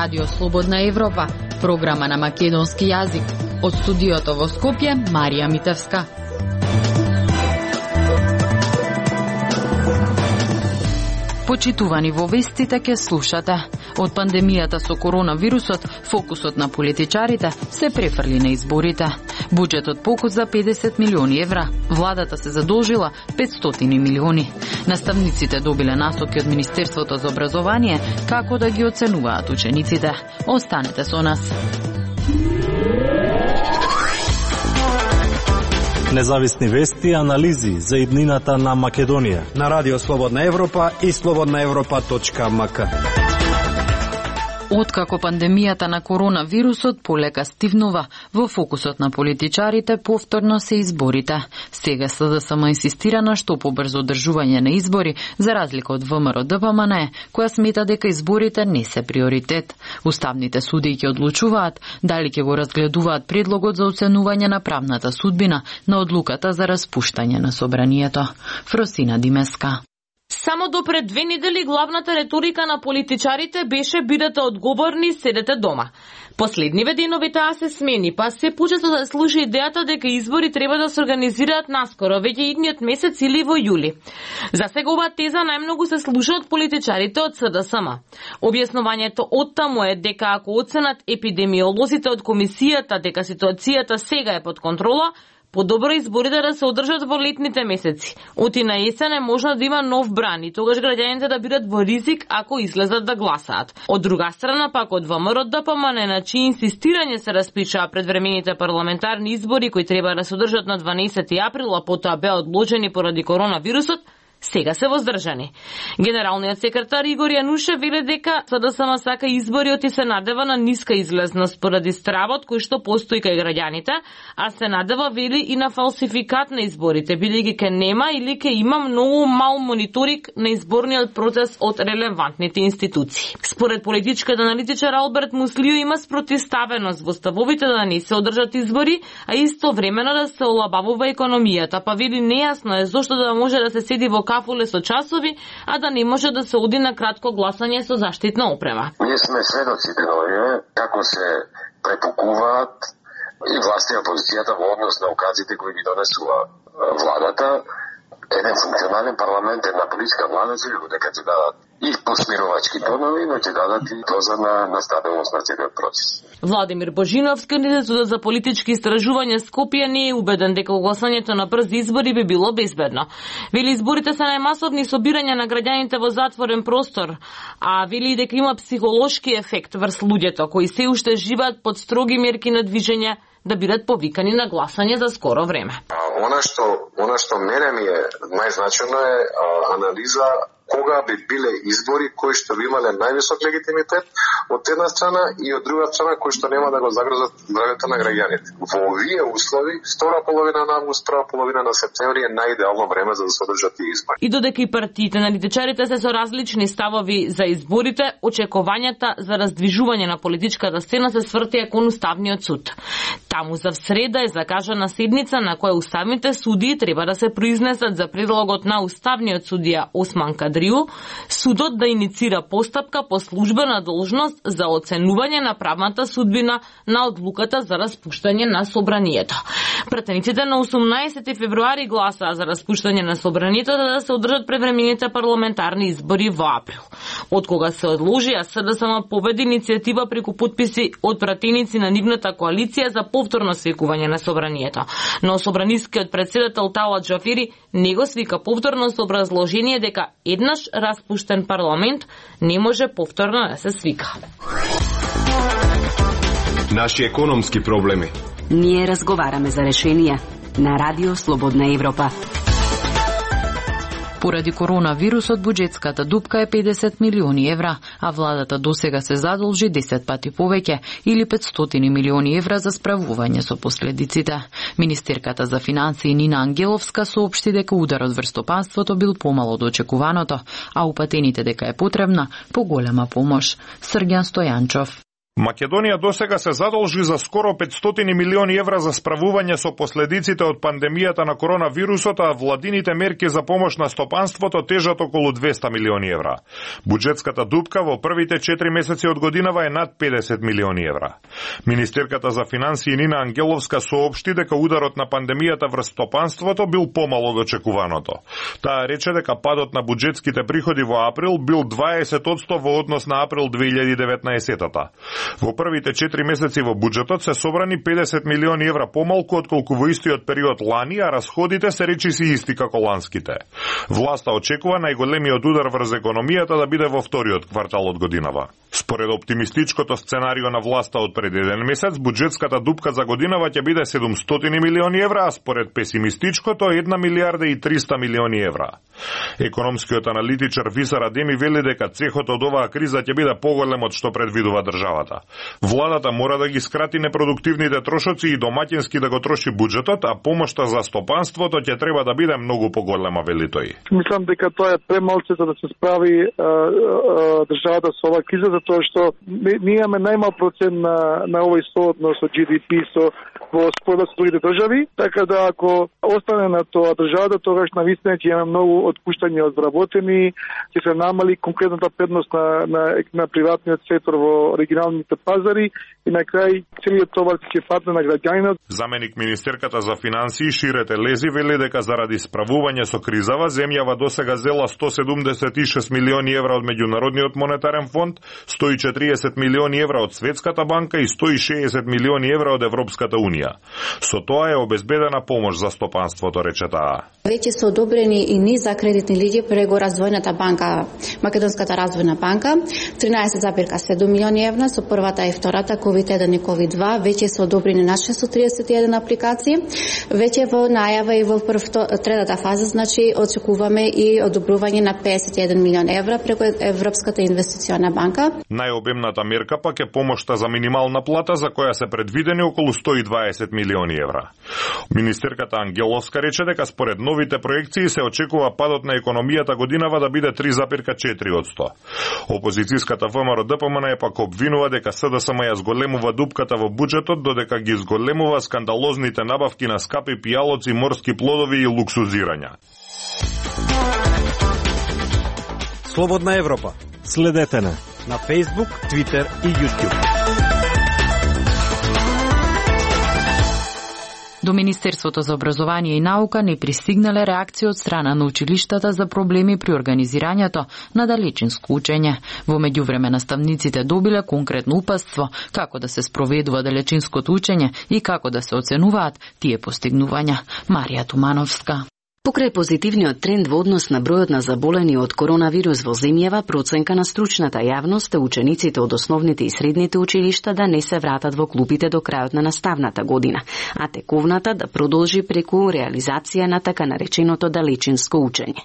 Радио Слободна Европа, програма на македонски јазик. Од студиото во Скопје, Марија Митевска. Почитувани во вестите ке слушате. Од пандемијата со коронавирусот, фокусот на политичарите се префрли на изборите. Буџетот покус за 50 милиони евра. Владата се задолжила 500 милиони. Наставниците добиле насоки од Министерството за образование како да ги оценуваат учениците. Останете со нас. Независни вести и анализи за иднината на Македонија на Радио Слободна Европа и slobodnaevropa.mk. Откако пандемијата на коронавирусот полека стивнува, во фокусот на политичарите повторно се изборите. Сега СДСМ инсистира на што побрзо одржување на избори, за разлика од ВМРО-ДПМН, која смета дека изборите не се приоритет. Уставните суди ќе одлучуваат дали ќе го разгледуваат предлогот за оценување на правната судбина на одлуката за распуштање на собранието. Фросина Димеска. Само до пред 2 недели главната реторика на политичарите беше бидете одговорни, седете дома. Последниве денови таа се смени, па се почесто да служи идејата дека избори треба да се организираат наскоро, веќе идниот месец или во јули. За сега оваа теза најмногу се слуша од политичарите од СДСМ. Објаснувањето оттаму е дека ако оценат епидемиолозите од комисијата дека ситуацијата сега е под контрола, подобро изборите да се одржат во летните месеци. Оти на есен е можно да има нов бран и тогаш граѓаните да бидат во ризик ако излезат да гласаат. Од друга страна пак од ВМРО-ДПМН на чии инсистирање се распишаа предвремените парламентарни избори кои треба да се одржат на 12 април, а потоа беа одложени поради коронавирусот, сега се воздржани. Генералниот секретар Игор Јанушев веле дека СДСМ сака избориот и се надева на ниска излезност поради стравот кој што постои кај граѓаните, а се надева вели и на фалсификат на изборите, бидејќи ке нема или ке има многу мал мониторинг на изборниот процес од релевантните институции. Според политичкиот аналитичар Алберт Муслио има спротивставеност во ставовите да не се одржат избори, а истовремено да се олабавува економијата, па вели нејасно е зошто да може да се седи во кафуле со часови, а да не може да се оди на кратко гласање со заштитна опрема. Ние сме сведоци деновиве како се препукуваат и власти и опозицијата во однос на указите кои ги донесува владата. Еден функционален парламент, една политичка влада се дека ќе дадат и посмирувачки тонови, но ќе дадат и доза на стабилност на целиот процес. Владимир Божиновски, Институтот за политички истражувања Скопје, не е убеден дека гласањето на брзи избори би било безбедно. Вели изборите се најмасовни собирања на граѓаните во затворен простор, а вели дека има психолошки ефект врз луѓето кои се уште живеат под строги мерки на движење да бидат повикани на гласање за скоро време. Она што мене ми е најзначено е анализа кога би биле избори кои што би имале највисок легитимитет од една страна и од друга страна кои што нема да го загрозат здравјето на граѓаните. Во овие услови, втора половина на август, прва половина на септември е најидеално време за да се одржат тие избори. И додека и партиите на аналитичарите се со различни ставови за изборите, очекувањата за раздвижување на политичката сцена се свртија кон Уставниот суд. Таму за среда е закажана седница на која уставните судии треба да се произнесат за предлогот на уставниот судија Осман Кадрију, судот да иницира постапка по службена должност за оценување на правната судбина на одлуката за распуштање на собранието. Пратениците на 18 февруари гласаа за распуштање на собранието да се одржат превремените парламентарни избори во април. Од кога се одложија, СДСМ победи иницијатива преку потписи од пратеници на нивната коалиција за повторно свикување на собранието. Но собранискиот претседател Талат Джафери не го свика повторно со образложение дека еднаш распуштен парламент не може повторно да се свика. Наши економски проблеми. Ние разговараме за решенија на Радио Слободна Европа. Поради коронавирусот, буџетската дупка е 50 милиони евра, а владата досега се задолжи 10 пати повеќе или 500 милиони евра за справување со последиците. Министерката за финансии Нина Ангеловска соопшти дека ударот врз стопанството бил помало од очекуваното, а упатените дека е потребна поголема помош. Срѓан Стојанчов. Македонија досега се задолжи за скоро 500 милиони евра за справување со последиците од пандемијата на коронавирусот, а владините мерки за помош на стопанството тежат околу 200 милиони евра. Буџетската дупка во првите 4 месеци од годинава е над 50 милиони евра. Министерката за финансии Нина Ангеловска соопшти дека ударот на пандемијата врз стопанството бил помал од очекуваното. Таа рече дека падот на буџетските приходи во април бил 20% во однос на април 2019-та. Во првите 4 месеци во буџетот се собрани 50 милиони евра помалку отколку во истиот период лани, а расходите се речиси исти како ланските. Власта очекува најголемиот удар врз економијата да биде во вториот квартал од годинава. Според оптимистичкото сценарио на власта од пред еден месец, буџетската дупка за годинава ќе биде 700 милиони евра, а според песимистичкото 1 милиарда и 300 милиони евра. Економскиот аналитичар Висар Адеми вели дека цехот од оваа криза ќе биде поголем од што предвидува државата. Владата мора да ги скрати непродуктивните трошоци и домаќински да го троши буџетот, а помошта за стопанството ќе треба да биде многу поголема, вели тој. Мислам дека тоа е премалце за да се справи државата со оваа криза, затоа што ние имаме најмал процент на овој сооднос од GDP во споредба со другите држави, така да ако остане на тоа државата, тогаш навистина ќе имаме многу отпуштање од вработени, ќе се намали конкретната предност на приватниот сектор во регионалните пазари и на крај целиот товар ќе падне на граѓанинот. Заменик министерката за финансии Ширете Лези вели дека заради справување со кризава земјава досега зела 176 милиони евра од Меѓународниот монетарен фонд, 140 милиони евра од Светската банка и 160 милиони евра од Европската унија. Со тоа е обезбедена помош за стопанството, рече таа. Веќе се одобрени и низ за кредитни линии преку Развојната банка, Македонската развојна банка, 13,7 милиони евра со првата и втората COVID-1 и COVID-2, веќе се одобрени на 631 апликации. Веќе во најава и во третата фаза, значи очекуваме и одобрување на 51 милион евра преку Европската инвестициона банка. Најобемната мерка пак е помошта за минимална плата, за која се предвидени околу 120 милиони евра. Министерката Ангеловска рече дека според новите проекции се очекува падот на економијата годинава да биде 3,4%. Опозицијската ВМРО ДПМН е пак обвинува дека СДСМ ја зголемува дупката во буџетот, додека ги зголемува скандалозните набавки на скапи пијалоци, морски плодови и луксузирања. Слободна Европа. Следете на Facebook, Twitter и YouTube. До Министерството за образование и наука не пристигнале реакции од страна на училиштата за проблеми при организирањето на далечинско учење. Во меѓувреме наставниците добиле конкретно упатство како да се спроведува далечинското учење и како да се оценуваат тие постигнувања. Марија Тумановска. Покрај позитивниот тренд во однос на бројот на заболени од коронавирус во земјава, проценка на стручната јавност е учениците од основните и средните училишта да не се вратат во клупите до крајот на наставната година, а тековната да продолжи преку реализација на така нареченото далечинско учење.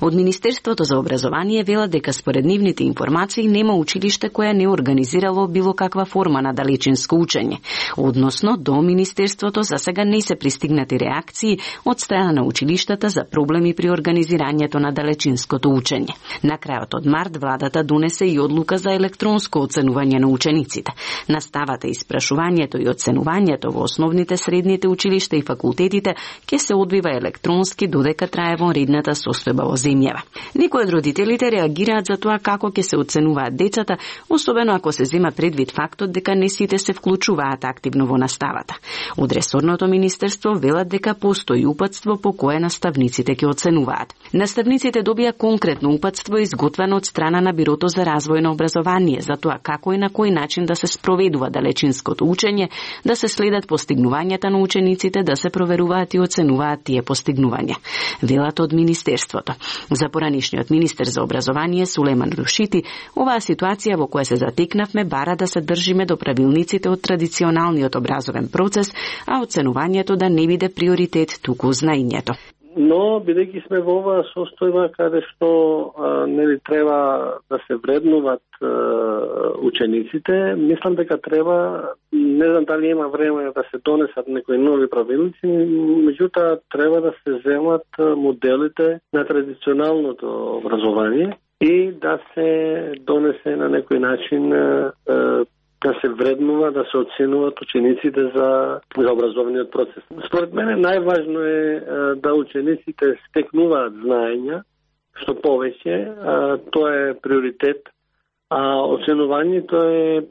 Од Министерството за образование велат дека според нивните информации нема училиште кое не организирало било каква форма на далечинско учење. Односно, до Министерството за сега не се пристигнати реакции од страна на училиштата за проблеми при организирањето на далечинското учење. На крајот од март владата донесе и одлука за електронско оценување на учениците. Наставата, испрашувањето и оценувањето во основните, средните училишта и факултетите ќе се одвива електронски додека трае вонредната состојба во земјава. Некои од родителите реагираат за тоа како ќе се оценуваат децата, особено ако се зема предвид фактот дека не сите се вклучуваат активно во наставата. Од ресорното министерство велат дека постои упатство по кое наставниците ќе оценуваат. Наставниците добија конкретно упатство изготвено од страна на Бирото за развој на образование за тоа како и на кој начин да се спроведува далечинското учење, да се следат постигнувањата на учениците, да се проверуваат и оценуваат тие постигнувања. Велат од министерството. За поранишниот министер за образование Сулеман Рушити, оваа ситуација во која се затекнавме бара да се држиме до правилниците од традиционалниот образовен процес, а оценувањето да не биде приоритет, туку знаењето. Но, бидејќи сме во оваа состојба каде што нели треба да се вреднуваат учениците, мислам дека треба, не знам дали има време да се донесат некои нови правилници, меѓутоа треба да се земат моделите на традиционалното образование и да се донесе на некој начин да се вреднува, да се оценуваат учениците за образовниот процес. Според мене најважно е да учениците стекнуваат знаења, што повеќе, тоа е приоритет, а оценувањето е,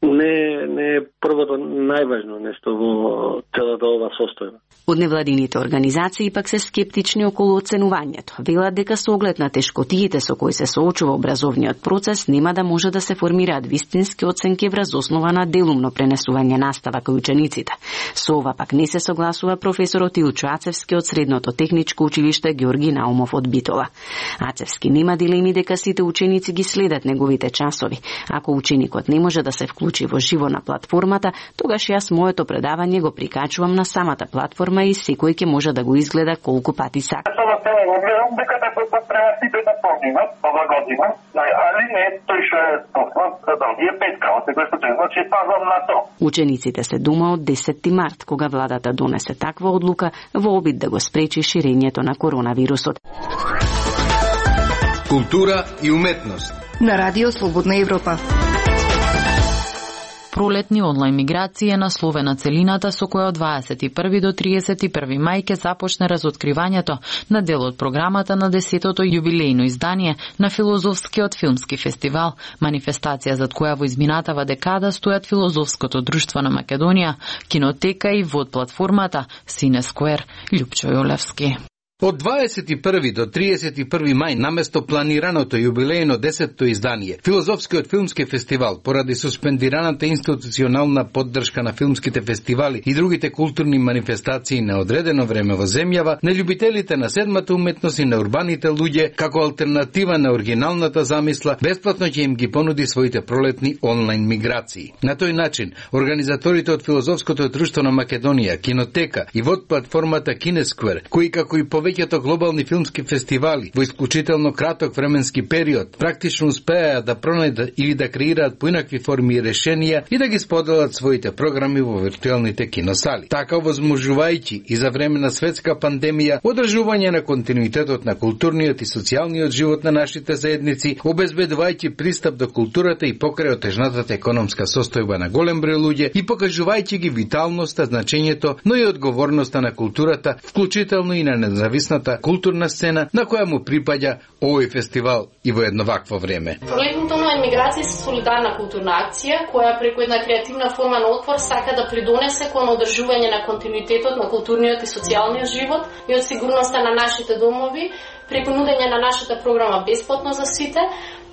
не е првото најважно нешто во целата ова состојба. Од невладините организации пак се скептични околу оценувањето. Велат дека со оглед на тешкотиите со кои се соочува образовниот процес, нема да може да се формираат вистински оценки врз основа на делумно пренесување настава кај учениците. Со ова пак не се согласува професорот Илчо Ацевски од Средното техничко училиште Георги Наумов од Битола. Ацевски нема дилеми дека сите ученици ги следат неговите часови. Ако ученикот не може да се вклучи во живо на платформата, тогаш јас моето предавање го прикачувам на самата платформа и секој ќе може да го изгледа колку пати сака. Дека треба сите да поминат ова година, али не тој што е тоснат да ги е петка, секој случај, значи пазам на то. Учениците се дома од 10 март, кога владата донесе таква одлука во обид да го спречи ширењето на коронавирусот. Култура и уметност на Радио Слободна Европа. Пролетни онлайн миграција е насловена целината со која од 21 до 31 мај ќе започне разоткривањето на дел од програмата на 10-тото јубилејно издание на Филозофскиот филмски фестивал, манифестација зад која во изминатава декада стојат Филозофското друштво на Македонија, Кинотека и ВОД платформата Синесквер. Љупчо Јолевски. Од 21 до 31 мај наместо планираното јубилејно 10-то издание, Филозофскиот филмски фестивал, поради суспендираната институционална поддршка на филмските фестивали и другите културни манифестации на одредено време во земјава, на љубителите на седмата уметност и на урбаните луѓе, како алтернатива на оригиналната замисла, бесплатно ќе им ги понуди своите пролетни онлайн миграции. На тој начин, организаторите од Филозофското друштво на Македонија, Кинотека и ВОД платформата Кинесквер, кои како и повеќето глобални филмски фестивали во исклучително краток временски период практично успеа да пронајдат или да креираат поинакви форми и решенија и да ги споделат своите програми во виртуелните киносали. Така возможувајќи и за време на светска пандемија одржување на континуитетот на културниот и социјалниот живот на нашите заедници, обезбедувајќи пристап до културата и покрај отежнатата економска состојба на голем број луѓе и покажувајќи ги виталноста, значењето, но и одговорноста на културата, вклучително и на независната културна сцена на која му припаѓа овој фестивал и во едно вакво време. Пролетната онлайн миграција е солидарна културна акција која преку една креативна форма на отпор сака да придонесе кон одржување на континуитетот на културниот и социјалниот живот и од сигурноста на нашите домови преку нудење на нашата програма бесплатно за сите,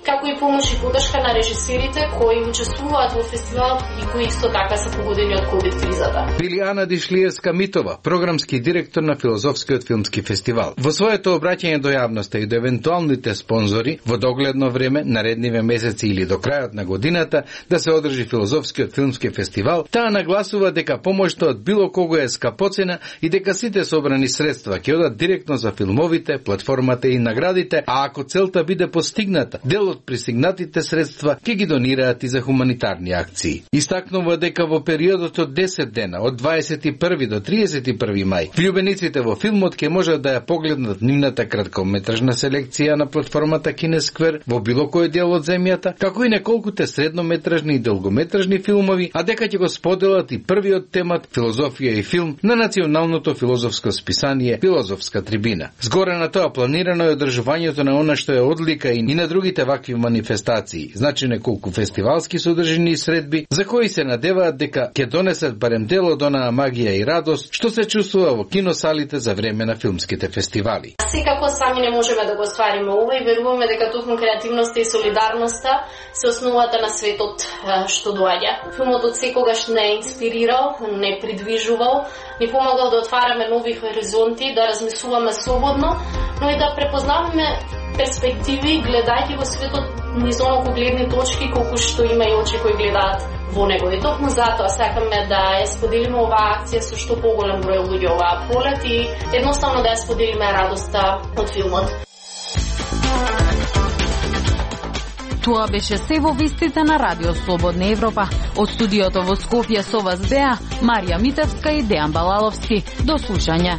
како и помош и поддршка на режисерите кои учествуваат во фестивалот и кои исто така се погодени од ковид кризата. Били Ана Дишлиевска-Митова, програмски директор на Филозофскиот филмски фестивал. Во своето обраќање до јавноста и до евентуалните спонзори во догледно време, наредниве месеци или до крајот на годината да се одржи Филозофскиот филмски фестивал, таа нагласува дека помошта од било кого е скапоцена и дека сите собрани средства ќе одат директно за филмовите, платформата и наградите, а ако целта биде постигната, дел од пристигнатите средства ќе ги донираат и за хуманитарни акции. Истакнува дека во периодот од 10 дена, од 21 до 31 мај, влюбениците во филмот ќе можат да ја погледнат нивната краткометражна селекција на платформата Кинесквер во било кој дел од земјата, како и неколкуте среднометражни и долгометражни филмови, а дека ќе го споделат и првиот темат филозофија и филм на националното филозофско списание Филозофска трибина. Згоре на тоа планирано е одржувањето на она што е одлика и на другите вакви манифестации, значи неколку фестивалски содржини и средби, за кои се надеваат дека ќе донесат барем дел од онаа магија и радост што се чувствува во киносалите за време на филмските фестивали. Секако сами не можеме да го оствариме ова и веруваме дека токму креативноста и солидарноста се основата на светот што доаѓа. Филмот од секогаш не инспирирал, не придвижувал, ни помагал да отвараме нови хоризонти, да размислуваме слободно, но и да препознаваме перспективи, гледајќи во светот низ оноку гледни точки колку што има и очи кои гледаат во него. И токму затоа сакаме да ја споделиме оваа акција со што поголем број луѓе оваа пролет и едноставно да ја споделиме радоста од филмот. Тоа беше се во вестите на Радио Слободна Европа. Од студиото во Скопје со вас беа Марија Митевска и Дејан Балаловски. До слушање.